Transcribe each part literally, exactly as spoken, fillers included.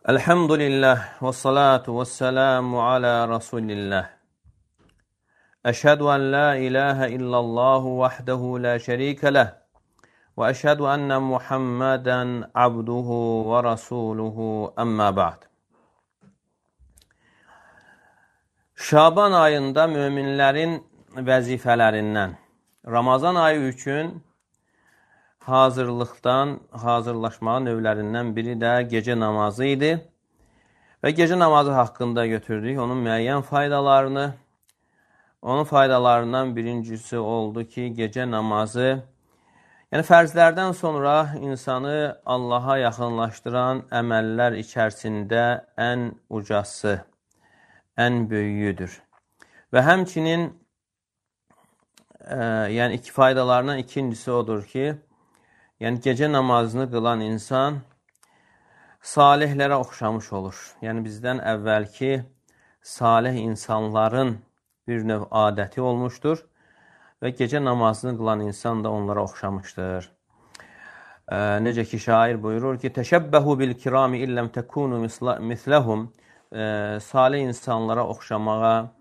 Elhamdülillah və salatu və selamu alə Rasulillah. Əşhədu ən la ilahə illallahu vəhdəhu la şərikə ləh və əşhədu ənə Muhammədən abduhu və rasuluhu əmmə ba'd. Şaban ayında möminlərin vəzifələrindən, Ramazan ayı üçün hazırlıqdan, hazırlaşmağın növlərindən biri də gecə namazı idi. Və gecə namazı haqqında götürdük onun müəyyən faydalarını. Onun faydalarından birincisi oldu ki, gecə namazı, yəni fərzlərdən sonra insanı Allaha yaxınlaşdıran əməllər içərisində ən ucası, ən böyüyüdür. Və həmçinin e, yəni iki faydalarından ikincisi odur ki, yəni gecə namazını qılan insan salihlərə oxşamış olur. Yəni bizdən əvvəlki salih insanların bir növ adəti olmuşdur və gecə namazını qılan insan da onlara oxşamışdır. E, necə ki şair buyurur ki, təşəbbəhu bil kirami illəm təkunu misləhum. E, salih insanlara oxşamağa,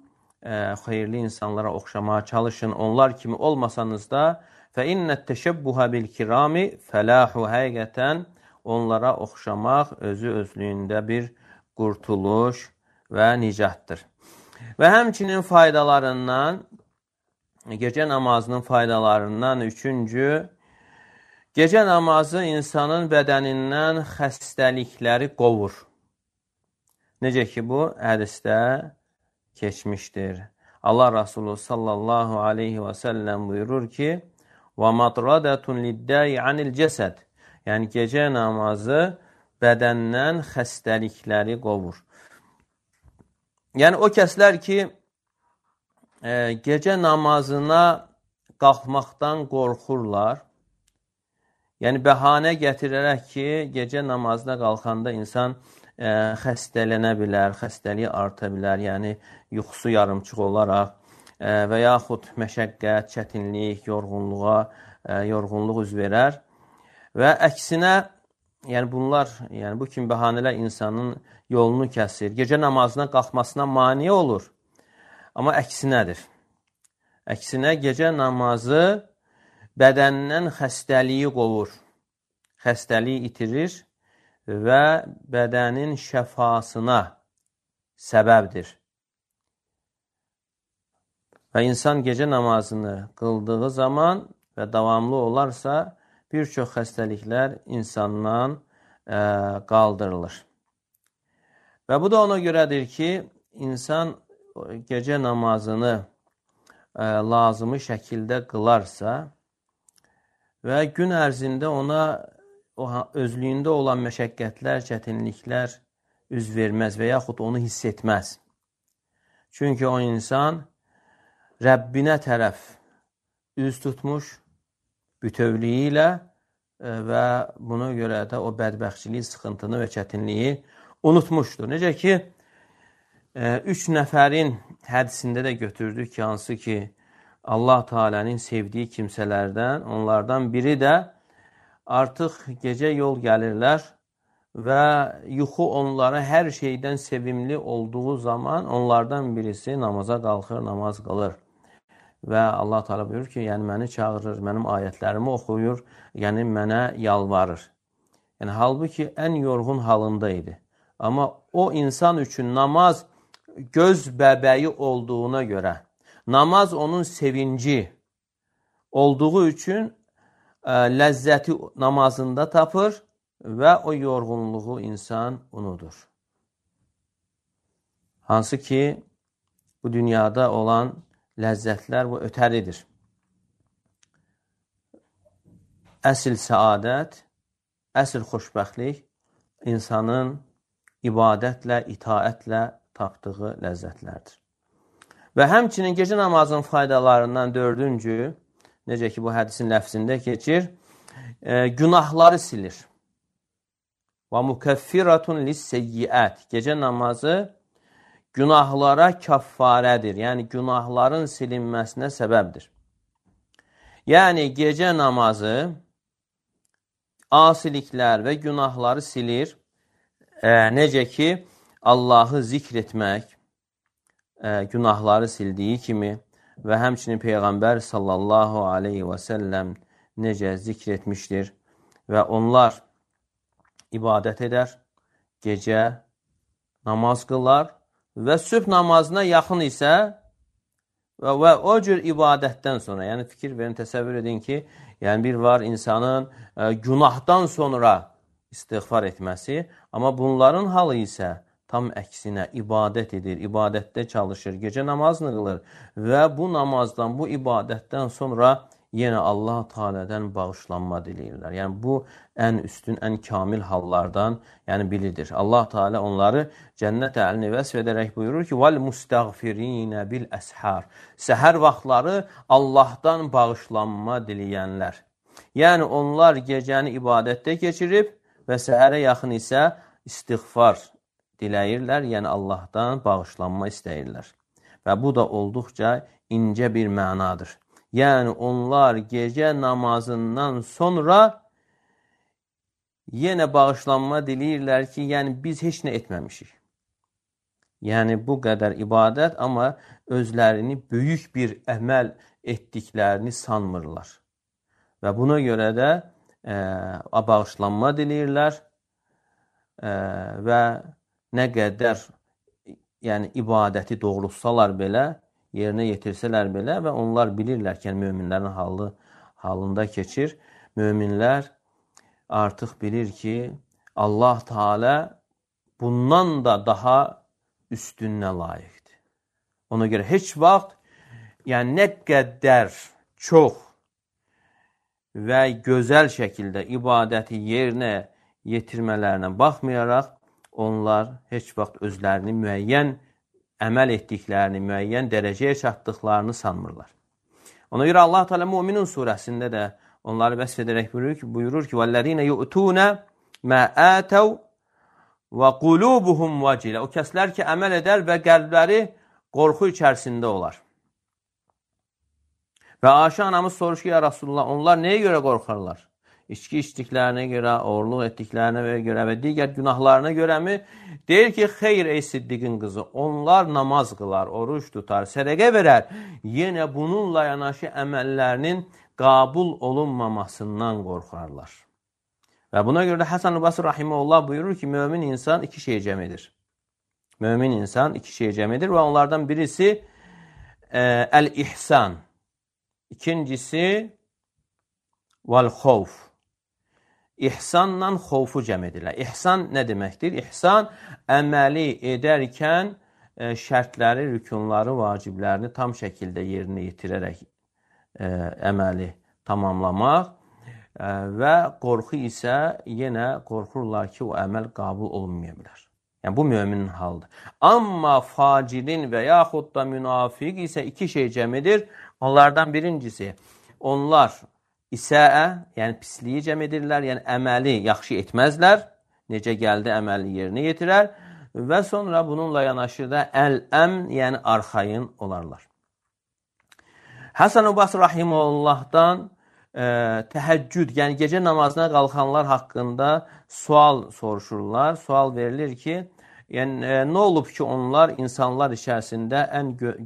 e, xeyirli insanlara oxşamağa çalışın. Onlar kimi olmasanız da فَاِنَّ التَّشَبُّهَ بِالْكِرَامِ فَلَاحُ həqiqətən onlara oxşamaq özü özlüyündə bir qurtuluş və nicatdır. Və həmçinin faydalarından, gecə namazının faydalarından üçüncü, gecə namazı insanın bədənindən xəstəlikləri qovur. Necə ki bu hədisdə keçmişdir. Allah Rasulü sallallahu aleyhi və səlləm buyurur ki, وَمَطْرَدَةٌ لِلْدَّاءِ عَنِ الْجَسَدِ. Yəni gecə namazı bədəndən xəstəlikləri qovur. Yəni o kəslər ki, e, gecə namazına qalxmaqdan qorxurlar, yəni bəhanə gətirərək ki, gecə namazına qalxanda insan e, xəstələnə bilər, xəstəliyi arta bilər, yəni yuxusu yarımçıq olaraq, və yaxud məşəqqət, çətinlik, yorğunluğa, yorğunluq üz verər. Və əksinə, yəni bunlar, yəni bu kimi bəhanələr insanın yolunu kəsir, gecə namazına qalxmasına mane olur. Amma əksinədir. Əksinə gecə namazı bədəndən xəstəliyi qovur, xəstəliyi itirir və bədənin şəfasına səbəbdir. Və insan gecə namazını qıldığı zaman və davamlı olarsa, bir çox xəstəliklər insandan ə, qaldırılır. Və bu da ona görədir ki, insan gecə namazını ə, lazımı şəkildə qılarsa və gün ərzində ona o, özlüyündə olan məşəqqətlər, çətinliklər üz verməz və yaxud onu hiss etməz. Çünki o insan Rəbbinə tərəf üz tutmuş bütövlüyü ilə və buna görə də o bədbəxtçiliyi, sıxıntını və çətinliyi unutmuşdur. Necə ki, üç nəfərin hədisində də götürdük ki, hansı ki, Allah Teala'nın sevdiyi kimsələrdən, onlardan biri də artıq gecə yol gəlirlər və yuxu onlara hər şeydən sevimli olduğu zaman onlardan birisi namaza qalxır, namaz qılır. Və Allah Teala buyurur ki, yəni məni çağırır, mənim ayətlərimi oxuyur, yəni mənə yalvarır. Yəni halbuki ən yorğun halında idi. Amma o insan üçün namaz göz bəbəyi olduğuna görə, namaz onun sevinci olduğu üçün ə, ləzzəti namazında tapır və o yorğunluğu insan unudur. Hansı ki, bu dünyada olan ləzzətlər bu ötəridir. Əsl səadət, əsl xoşbəxtlik insanın ibadətlə, itaətlə tapdığı ləzzətlərdir. Və həmçinin gecə namazının faydalarından dördüncü, necə ki bu hədisin ləfzində keçir, e, günahları silir. Və mukəffiratun lis-seyyiət. Gecə namazı günahlara kəffarədir. Yəni, günahların silinməsinə səbəbdir. Yəni, gecə namazı asiliklər və günahları silir E, necə ki, Allahı zikr etmək e, günahları sildiyi kimi və həmçinin Peyğəmbər sallallahu aleyhi və səlləm necə zikr etmişdir və onlar ibadət edər, gecə namaz qılar və sübh namazına yaxın isə və, və o cür ibadətdən sonra, yəni fikir verin, təsəvvür edin ki, yəni bir var insanın e, günahdan sonra istiğfar etməsi, amma bunların halı isə tam əksinə ibadət edir, ibadətdə çalışır, gecə namazını qılır və bu namazdan, bu ibadətdən sonra yenə Allah Teala'dan bağışlanma diləyirlər. Yəni bu ən üstün, ən kamil hallardan yəni biridir. Allah Teala onları cənnət əhlini vəsf edərək buyurur ki: "Vel mustaghfirin bil ashar." Səhər vaxtları Allahdan bağışlanma diləyənlər. Yəni onlar gecəni ibadətdə keçirib və səhərə yaxın isə istiğfar diləyirlər, yəni Allahdan bağışlanma istəyirlər. Və bu da olduqca incə bir mənadır. Yəni onlar gecə namazından sonra yenə bağışlanma diləyirlər ki, yəni biz heç nə etməmişik. Yəni bu qədər ibadət, amma özlərini böyük bir əməl etdiklərini sanmırlar. Və buna görə də e, bağışlanma diləyirlər e, və nə qədər yəni ibadəti doğrultsalar belə, yerinə yetirsələr belə və onlar bilirlər ki, yəni, möminlərin halı, halında keçir. Möminlər artıq bilir ki, Allah Teala bundan da daha üstünə layiqdir. Ona görə heç vaxt, yəni nə qədər çox və gözəl şəkildə ibadəti yerinə yetirmələrinə baxmayaraq, onlar heç vaxt özlərini müəyyən əməl etdiklərini, müəyyən dərəcəyə çatdıqlarını sanmırlar. Ona görə Allah Teala Müminun surəsində də onları vəsf edərək buyurur ki, buyurur ki: "Vəllezîne yu'tûne mâ âtev və qulûbuhum vecilə." O kəslər ki, əməl edər və qəlbləri qorxu içərisində olar. Və Ayşə anamız soruşur ki, ya Rasulullah, onlar nəyə görə qorxarlar? İçki içdiklərinə görə, oğurluq etdiklərinə görə və digər günahlarına görəmi? Deyir ki, xeyr ey Siddiqin qızı, onlar namaz qılar, oruç tutar, sədəqə verər. Yenə bununla yanaşı əməllərinin qabul olunmamasından qorxarlar. Və buna görə də Həsən Basri Rahiməhullah buyurur ki, mömin insan iki şey cəm edir. Mömin insan iki şey cəm edir və onlardan birisi e, əl-ihsan. İkincisi vəl-xovf. İhsanla xofu cəm edirlər. İhsan nə deməkdir? İhsan, əməli edərkən e, şərtləri, rükunları, vaciblərini tam şəkildə yerinə yetirərək e, əməli tamamlamaq e, və qorxu isə yenə qorxurlar ki, o əməl qabul olunmaya bilər. Yəni, bu müminin halıdır. Amma facirin və yaxud da münafiq isə iki şey cəm edir. Onlardan birincisi, onlar İsəə, yəni pisliyi cəm edirlər, yəni əməli yaxşı etməzlər, necə gəldi əməli yerinə yetirər və sonra bununla yanaşı da əl-əmn, yəni arxayın olarlar. Həsən Basri Rahiməllahdan e, təhəccüd, yəni gecə namazına qalxanlar haqqında sual soruşurlar. Sual verilir ki, yəni e, nə olub ki, onlar insanlar içərisində ən gö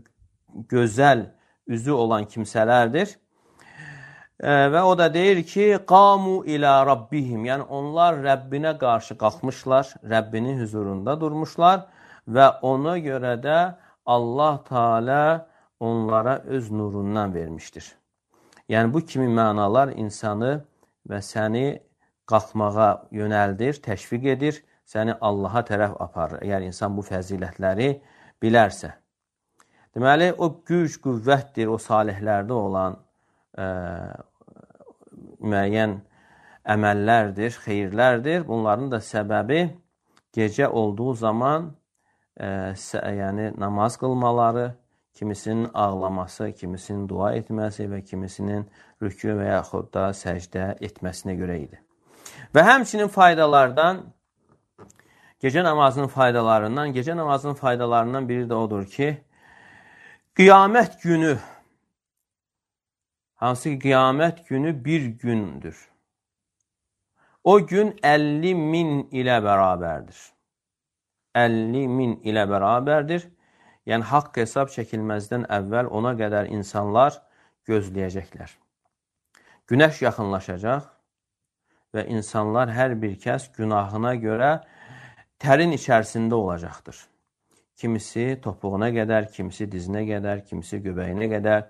gözəl üzü olan kimsələrdir. Və o da deyir ki, qamu ilə rabbihim, yəni onlar Rəbbinə qarşı qalxmışlar, Rəbbinin huzurunda durmuşlar və ona görə də Allah Teala onlara öz nurundan vermişdir. Yəni bu kimi mənalar insanı və səni qalxmağa yönəldir, təşviq edir, səni Allaha tərəf aparır, əgər insan bu fəzilətləri bilərsə. Deməli, o güc, qüvvətdir, o salihlərdə olan ə, müəyyən əməllərdir, xeyirlərdir. Bunların da səbəbi gecə olduğu zaman ə, yəni namaz qılmaları, kimisinin ağlaması, kimisinin dua etməsi və kimisinin rükû və yaxud da səcdə etməsinə görə idi. Və həmçinin faydalardan, gecə namazının faydalarından, gecə namazının faydalarından biri də odur ki, qiyamət günü, hansı ki, qiyamət günü bir gündür. O gün əlli min ilə bərabərdir. əlli min ilə bərabərdir. Yəni, haqq hesab çəkilməzdən əvvəl ona qədər insanlar gözləyəcəklər. Günəş yaxınlaşacaq və insanlar hər bir kəs günahına görə tərin içərisində olacaqdır. Kimisi topuğuna qədər, kimisi dizinə qədər, kimisi göbəyinə qədər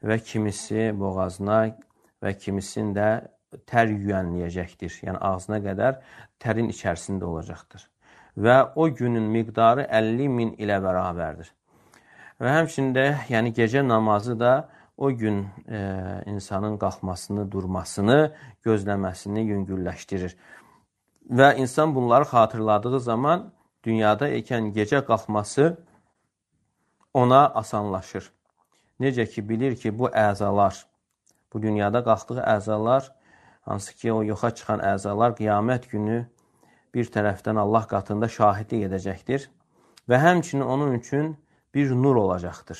və kimisi boğazına və kimisinin də tər yüyənləyəcəkdir. Yəni, ağzına qədər tərin içərisində olacaqdır. Və o günün miqdarı əlli min ilə bərabərdir. Və həmçində, yəni gecə namazı da o gün e, insanın qalxmasını, durmasını, gözləməsini yüngülləşdirir. Və insan bunları xatırladığı zaman dünyada ikən gecə qalxması ona asanlaşır. Necə ki, bilir ki, bu əzalar, bu dünyada qalxdığı əzalar, hansı ki, o yoxa çıxan əzalar qiyamət günü bir tərəfdən Allah qatında şahidlik edəcəkdir və həmçinin onun üçün bir nur olacaqdır.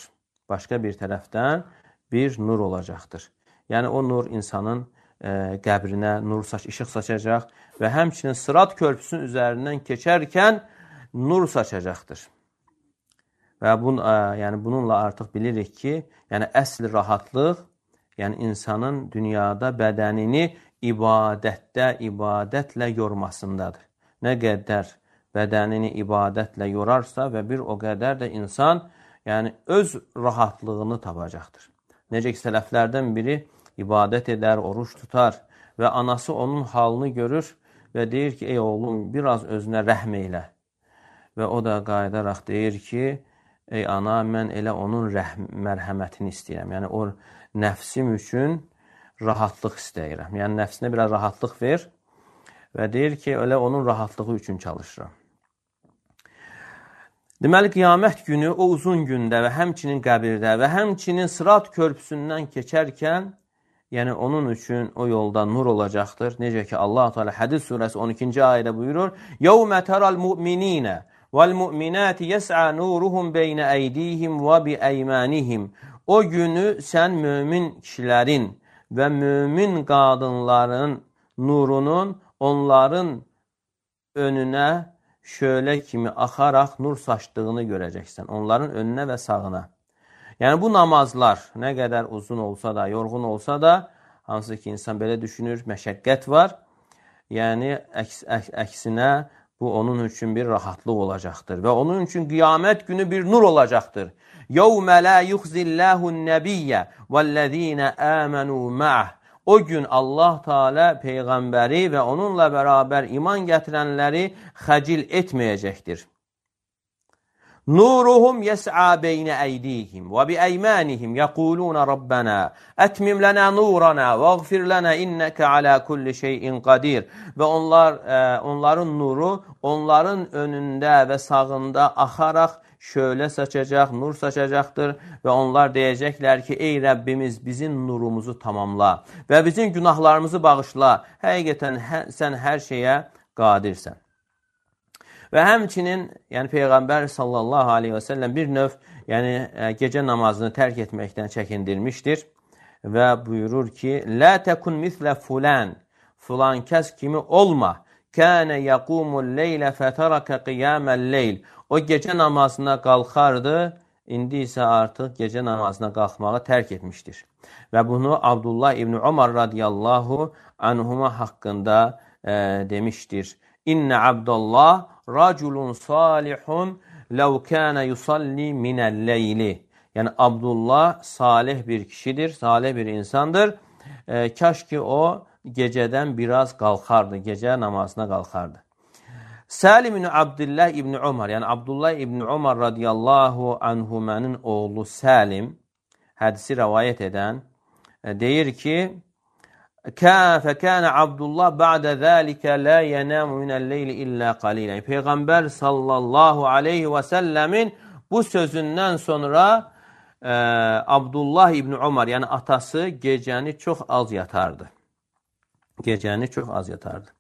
Başqa bir tərəfdən bir nur olacaqdır. Yəni, o nur insanın e, qəbrinə nur saç, işıq saçacaq və həmçinin Sırat körpüsünün üzərindən keçərkən nur saçacaqdır. Və bun, ə, yəni bununla artıq bilirik ki, yəni əsl rahatlıq, yəni insanın dünyada bədənini ibadətdə, ibadətlə yormasındadır. Nə qədər bədənini ibadətlə yorarsa və bir o qədər də insan yəni öz rahatlığını tapacaqdır. Necə ki, sələflərdən biri ibadət edər, oruç tutar və anası onun halını görür və deyir ki, ey oğlum, biraz özünə rəhm eylə. Və o da qayıdaraq deyir ki, ey ana, mən elə onun rəhm, mərhəmətini istəyirəm. Yəni, o nəfsim üçün rahatlıq istəyirəm. Yəni, nəfsinə biraz rahatlıq ver və deyir ki, elə onun rahatlığı üçün çalışıram. Deməli, qiyamət günü o uzun gündə və həmçinin qəbirdə və həmçinin Sırat körpüsündən keçərkən, yəni onun üçün o yolda nur olacaqdır. Necə ki, Allah Teala Hədid surəsi on ikinci ayədə buyurur: "Yevmə teral mu'minina vel mu'minati yes'a nuruhum beyne eydihim ve bi eymanihim." O günü sən mömin kişilərin və mömin qadınların nurunun onların önünə şöyle kimi axaraq nur saçdığını görəcəksən. Onların önünə və sağına. Yəni bu namazlar nə qədər uzun olsa da, yorğun olsa da, hansı ki insan belə düşünür, məşəqqət var. Yəni əks, əks, əksinə bu onun üçün bir rahatlıq olacaqdır və onun üçün qiyamət günü bir nur olacaqdır. يَوْمَ لَا يُخْزِ اللّٰهُ النَّبِيَّ وَالَّذ۪ينَ آمَنُوا مَعَهُ O gün Allah Teala Peyğəmbəri və onunla bərabər iman gətirənləri xəcil etməyəcəkdir. Nuruhum yes'a beyne eydihim ve bi eymanihim yequlun Rabbana etmim lana nurana veğfir lana inneke ala kulli şeyin qadir. Və onlar e, onların nuru onların önündə və sağında axaraq şöyle saçacaq, nur saçacaqdır və onlar deyəcəklər ki, ey Rəbbimiz bizim nurumuzu tamamla və bizim günahlarımızı bağışla. Həqiqətən hə, sən hər şeyə qadirsən. Və həmçinin yəni Peyğəmbər sallallahu aleyhi və səlləm bir növ yəni gecə namazını tərk etməkdən çəkindirmişdir və buyurur ki, la tekun mislə fulan, fulan kəs kimi olma. Kənə yəqumul leylə fətərəkə qiyaməl leyl. O gecə namazına qalxardı, indi isə artıq gecə namazına qalxmağı tərk etmişdir. Və bunu Abdullah İbn Umar radiyallahu anhuma haqqında e, demişdir. İnnə Abdullah raculun salihun lev kana yusalli minel leyli. Yəni Abdullah salih bir kişidir, salih bir insandır. E, kaş ki o gecədən biraz qalxardı, gecə namazına qalxardı. Salim ibn Abdullah ibn Umar, yəni Abdullah ibn Umar radiyallahu anhumanın oğlu Salim hədisi rəvayət edən deyir ki, فَكَانَ Abdullah ba'də zəlikə la yenamu minəl-leyli illə qalilə. Peyğəmbər sallallahu aleyhi və səlləmin bu sözündən sonra e, Abdullah ibn Umar, yəni atası gecəni çox az yatardı. Gecəni çox az yatardı.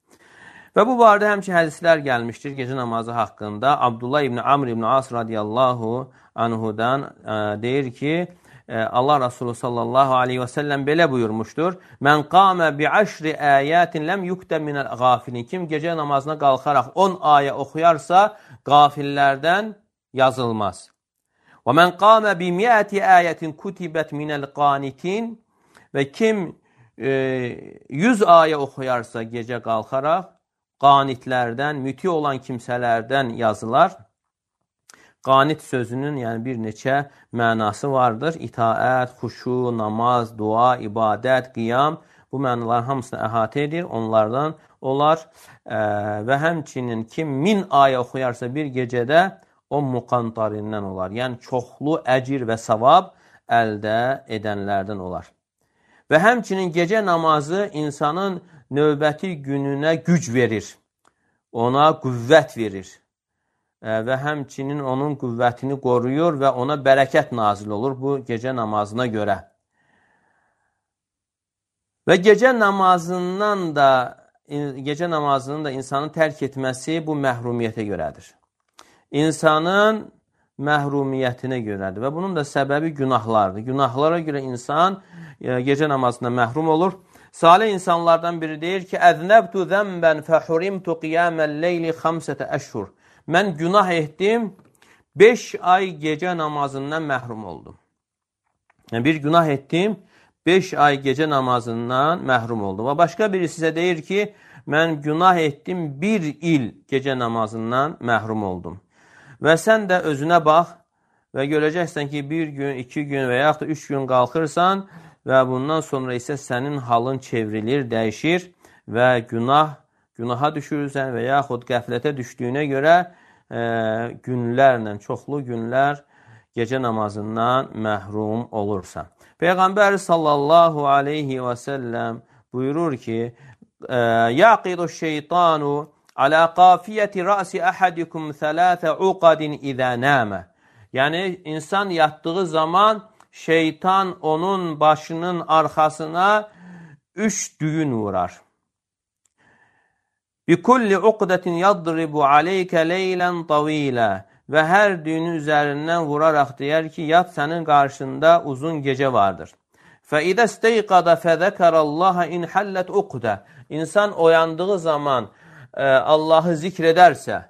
Və bu barədə həmçə hədislər gəlmişdir gecə namazı haqqında. Abdullah ibn Amr ibn As radiyallahu anhudan e, deyir ki, e, Allah Resulü sallallahu aleyhi və səlləm belə buyurmuşdur. Mən qamə bi əşri əyətin ləm yuktə minəl qafilin. Kim gecə namazına qalxaraq on ayə oxuyarsa, qafillərdən yazılmaz. Və mən qamə bi mi'əti ayətin kutibət minəl qanitin və kim e, yüz ayə oxuyarsa gecə qalxaraq, qanitlərdən, müti olan kimsələrdən yazılar. Qanit sözünün yəni bir neçə mənası vardır. İtaət, xuşu, namaz, dua, ibadət, qiyam bu mənaların hamısını əhatə edir. Onlardan olar ə, və həmçinin kim min ayə oxuyarsa bir gecədə o muqantarindən olar. Yəni çoxlu əcir və savab əldə edənlərdən olar. Və həmçinin gecə namazı insanın növbəti gününə güc verir. Ona qüvvət verir. Və həmçinin onun qüvvətini qoruyur və ona bərəkət nazil olur bu gecə namazına görə. Və gecə namazından da gecə namazının da insanın tərk etməsi bu məhrumiyyətə görədir. İnsanın məhrumiyyətinə görədir və bunun da səbəbi günahlardır. Günahlara görə insan gecə namazına məhrum olur. Salih insanlardan biri deyir ki, əznəbtu zəmbən fəhurimtu qiyamən leyli xamsətə əşhur. Mən günah etdim, beş ay gecə namazından məhrum oldum. Yəni, bir günah etdim, beş ay gecə namazından məhrum oldum. Və başqa biri sizə deyir ki, mən günah etdim, bir il gecə namazından məhrum oldum. Və sən də özünə bax və görəcəksən ki, bir gün, iki gün və yaxud da üç gün qalxırsan və bundan sonra isə sənin halın çevrilir, dəyişir və günah Günaha düşürsən və yaxud qəflətə düşdüyünə görə e, günlərlə, çoxlu günlər gecə namazından məhrum olursan. Peyğəmbər sallallahu aleyhi və səlləm buyurur ki, Yaqidu şeytanu alə qafiyyəti rəsi əhədikum thələthə uqadin izə nəmə. Yəni, insan yatdığı zaman şeytan onun başının arxasına üç düyün vurar. Bikulli uqdatin yadribu alayka leylan tawila və hər düyünün üzərindən vuraraq deyər ki, yat sənin qarşında uzun gecə vardır. Fə idə isteyqada fəzəkərallaha in hallət uqda. İnsan oyandığı zaman e, Allahı zikr edərsə,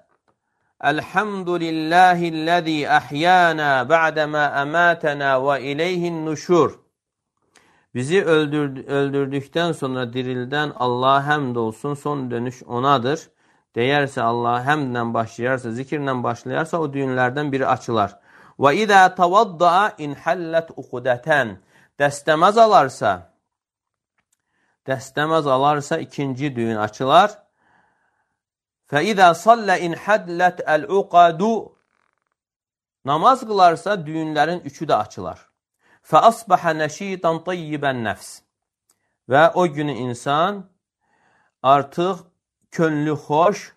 Elhamdülillahilləzi əhyana ba'dəmə əmətənə və ileyhin nuşur. Bizi öldürdü, öldürdükdən sonra dirildən Allah həmd olsun, son dönüş onadır. Deyərsə Allah həmdlə başlayarsa, zikirlə başlayarsa o düyünlərdən biri açılar. Və idə tavaddaa inhallət uqudətən. Dəstəməz alarsa, dəstəməz alarsa ikinci düyün açılar. Fə idə sallə inhallət əl-uqadu. Namaz qılarsa düyünlərin üçü də açılar. فَأَصْبَحَ نَشِيطًا طَيِّبًا nəfs. Və o günü insan artıq könlü xoş,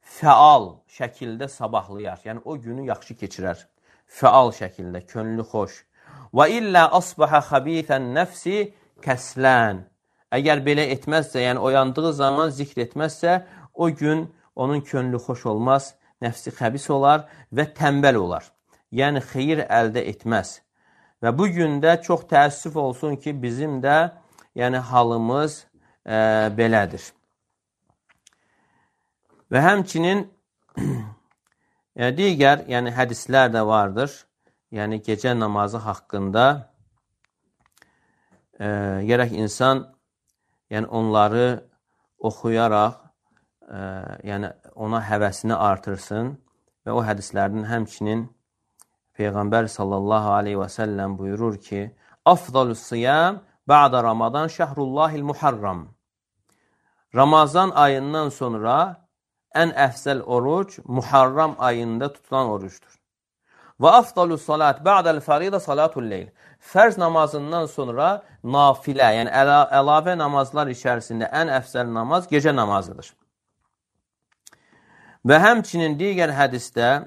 fəal şəkildə sabahlayar. Yəni, o günü yaxşı keçirər. Fəal şəkildə, könlü xoş. وَإِلَّا أَصْبَحَ خَبِيثًا nəfsi kəslən. Əgər belə etməzsə, yəni oyandığı zaman zikr etməzsə, o gün onun könlü xoş olmaz, nəfsi xəbis olar və tənbəl olar. Yəni, xeyir əldə etməz. Və bu gündə çox təəssüf olsun ki, bizim də yəni, halımız e, belədir. Və həmçinin yəni, digər yəni, hədislər də vardır. Yəni, gecə namazı haqqında e, gərək insan yəni, onları oxuyaraq e, yəni, ona həvəsini artırsın və o hədislərdən həmçinin Peyğəmbər sallallahu aleyhi və səlləm buyurur ki, Afdalus siyam ba'da Ramadan şəhrullahil muharram. Ramazan ayından sonra ən əfzəl oruc Muharram ayında tutulan orucdur. Və afdalus salat ba'dal farida salatul leyl. Fərz namazından sonra nafilə, yəni əla, əlavə namazlar içərisində ən əfzəl namaz gecə namazıdır. Və həmçinin digər hədisdə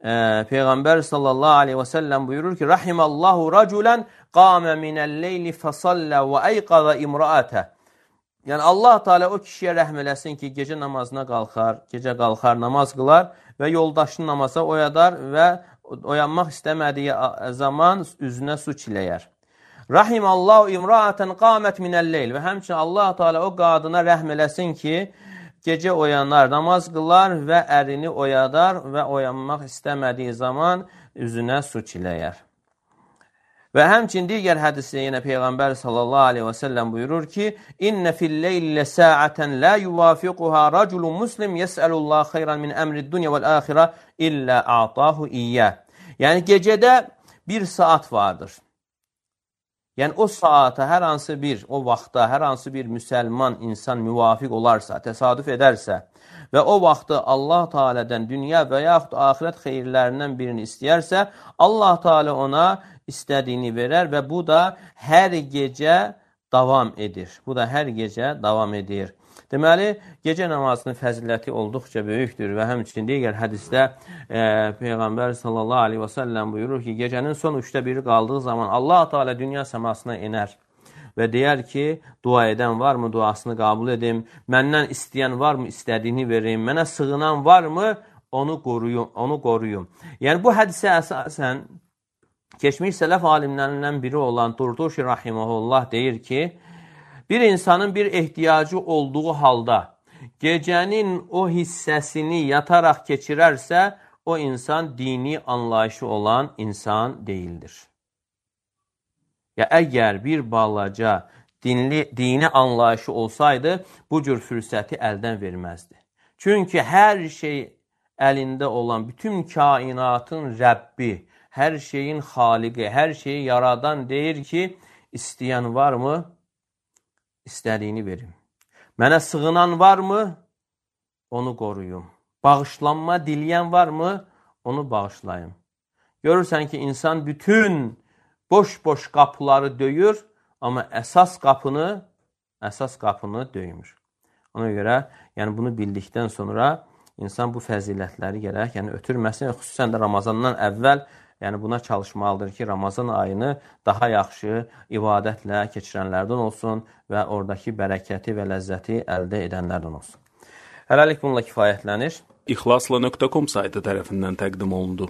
Peyğəmbər sallallahu aleyhi və səlləm buyurur ki, Rahimallahu raculən qamə minəl-leyli fəsallə və əyqaza imraətə. Yəni, Allah Teala o kişiyə rəhm eləsin ki, gecə namazına qalxar, gecə qalxar, namaz qılar və yoldaşını namaza oyadar və oyanmaq istəmədiyi zaman üzünə su çiləyər. Rahimallahu imraətən qamət minəl-leyl və həmçinin Allah Teala o qadına rəhm eləsin ki, gecə oyanar, namaz qılar və ərini oyadar və oyanmaq istəmədiyi zaman üzünə su çiləyər. Və həmçin digər hədisdə yenə Peyğəmbər sallallahu aleyhi və səlləm buyurur ki, İnnə fil-leylə səətən lə yuvafiquhə raculun muslim yəsəlullah xeyran min əmrid dünya vəl-əxirə illə a'tahu iyyə. Yəni, gecədə bir saat vardır. Yəni, o saata hər hansı bir, o vaxtda hər hansı bir müsəlman insan müvafiq olarsa, təsadüf edərsə və o vaxtı Allah Teala'dan dünya və yaxud axirət xeyirlərindən birini istəyərsə, Allah Teala ona istədiyini verər və bu da hər gecə davam edir. Bu da hər gecə davam edir. Deməli, gecə namazının fəziləti olduqca böyükdür və həmçinin digər hədisdə e, Peyğəmbər sallallahu aleyhi və səlləm buyurur ki, gecənin son üçdə biri qaldığı zaman Allah Teala dünya səmasına enər və deyər ki, dua edən varmı, duasını qəbul edim, məndən istəyən varmı, istədiyini verim, mənə sığınan varmı, onu qoruyum, onu qoruyum. Yəni, bu hədisə əsasən keçmiş sələf alimlərindən biri olan Turtushi rahiməhullah deyir ki, bir insanın bir ehtiyacı olduğu halda gecənin o hissəsini yataraq keçirərsə, o insan dini anlayışı olan insan deyildir. Ya, əgər bir balaca dinli, dini anlayışı olsaydı, bu cür fürsəti əldən verməzdi. Çünki hər şey əlində olan, bütün kainatın Rəbbi, hər şeyin xaliqi, hər şeyi yaradan deyir ki, istəyən varmı? İstədiyini verim. Mənə sığınan varmı? Onu qoruyum. Bağışlanma diləyən varmı? Onu bağışlayım. Görürsən ki, insan bütün boş-boş qapıları döyür, amma əsas qapını, əsas qapını döymür. Ona görə, yəni bunu bildikdən sonra insan bu fəzilətləri gərək, yəni ötürməsin, xüsusən də Ramazandan əvvəl yəni buna çalışmalıdır ki, Ramazan ayını daha yaxşı ibadətlə keçirənlərdən olsun və oradakı bərəkəti və ləzzəti əldə edənlərdən olsun. Hələlik bununla kifayətlənir. İxlasla nöqtə com saytı tərəfindən təqdim olundu.